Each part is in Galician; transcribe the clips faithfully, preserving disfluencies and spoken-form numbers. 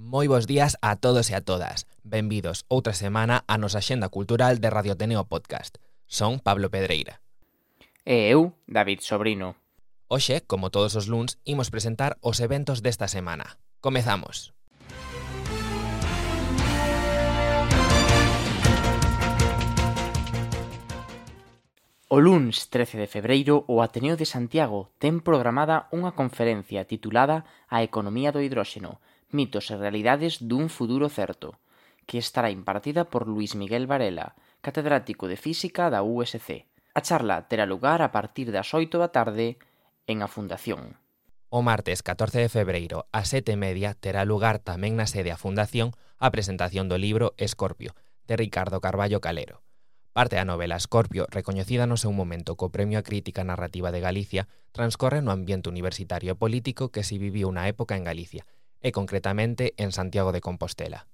Moi bos días a todos e a todas. Benvidos outra semana á nosa Axenda Cultural de Radio Ateneo Podcast. Son Pablo Pedreira. E eu, David Sobrino. Hoxe, como todos os luns, imos presentar os eventos desta semana. Comezamos. O luns trece de febreiro, o Ateneo de Santiago ten programada unha conferencia titulada A economía do hidróxeno, mitos e realidades dun futuro certo, que estará impartida por Luis Miguel Varela, catedrático de Física da U S C. A charla terá lugar a partir das oito da tarde en a Fundación. O martes catorce de febreiro, ás sete e media, terá lugar tamén na sede a Fundación a presentación do libro Escorpio, de Ricardo Carballo Calero. Parte da novela Escorpio, recoñecida no seu momento co Premio a Crítica Narrativa de Galicia, transcorre no ambiente universitario e político que se viviu na época en Galicia, e concretamente en Santiago de Compostela.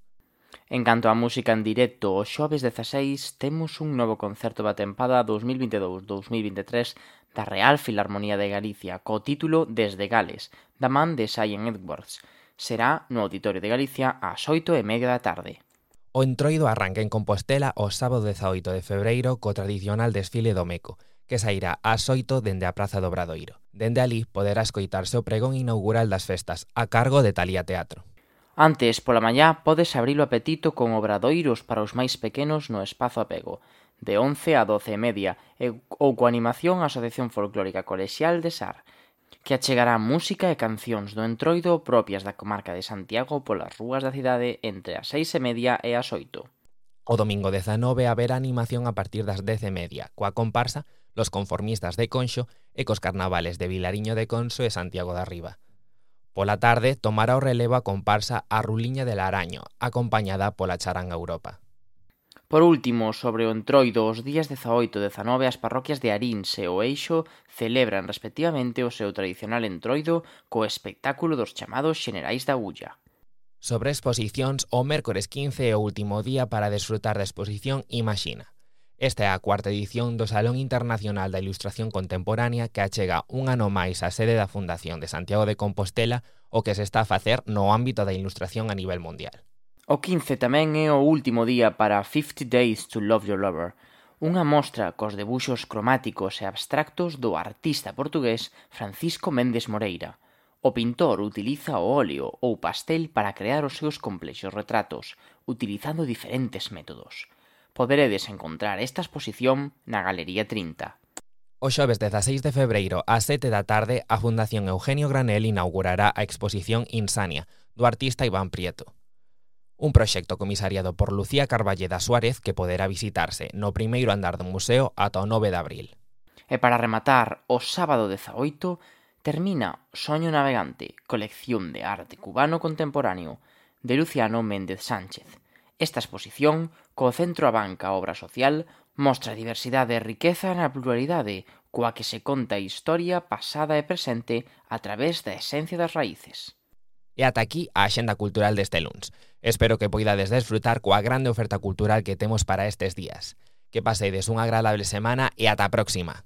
En canto á música en directo, o xoves dezaseis temos un novo concerto da tempada dos mil vinte e dous dos mil vinte e tres da Real Filarmonía de Galicia, co título Desde Gales, da man de Sion Edwards. Será no Auditorio de Galicia ás oito e media da tarde. O Entroido arranca en Compostela o sábado dezaoito de febreiro co tradicional desfile do Meco, que sairá ás oito dende a Praza do Obradoiro. Dende ali poderá escoitarse o pregón inaugural das festas, a cargo de Talía Teatro. Antes, pola mañá, podes abrir o apetito con obradoiros para os máis pequenos no Espazo Apego, de once a doce e media, e, ou coa animación a Asociación Folclórica Colexial de Sar, que achegará música e cancións do Entroido propias da comarca de Santiago polas rúas da cidade entre as seis e media e as oito. O domingo dezanove haberá animación a partir das dez e media, coa comparsa Los Conformistas de Conxo e cos carnavales de Vilariño de Conso e Santiago da Riba. Pola tarde tomará o relevo a comparsa A Ruliña del Araño, acompañada pola Charanga Europa. Por último, sobre o Entroido, os días dezaoito e dezanove as parroquias de Arinse e o Eixo celebran respectivamente o seu tradicional Entroido co espectáculo dos chamados Xenerais da Ulla. Sobre exposicións, o mércores quince é o último día para desfrutar da exposición Imaxina. Esta é a cuarta edición do Salón Internacional da Ilustración Contemporánea que achega un ano máis a sede da Fundación de Santiago de Compostela o que se está a facer no ámbito da ilustración a nivel mundial. O quince tamén é o último día para fifty days to Love Your Lover, unha mostra cos debuxos cromáticos e abstractos do artista portugués Francisco Méndez Moreira. O pintor utiliza o óleo ou pastel para crear os seus complexos retratos, utilizando diferentes métodos. Poderedes encontrar esta exposición na Galería trinta. O xoves dezaseis de febreiro ás sete da tarde, a Fundación Eugenio Granel inaugurará a exposición Insania, do artista Iván Prieto. Un proxecto comisariado por Lucía Carballeda Suárez que poderá visitarse no primeiro andar do museo ata o nove de abril. E para rematar, o sábado dezaoito termina Soño Navegante, colección de arte cubano contemporáneo, de Luciano Méndez Sánchez. Esta exposición, co Centro Abanca Obra Social, mostra diversidade e riqueza na pluralidade, coa que se conta a historia pasada e presente a través da esencia das raíces. E ata aquí a Axenda Cultural deste luns. Espero que poidades desfrutar coa grande oferta cultural que temos para estes días. Que pasedes unha agradable semana e ata a próxima.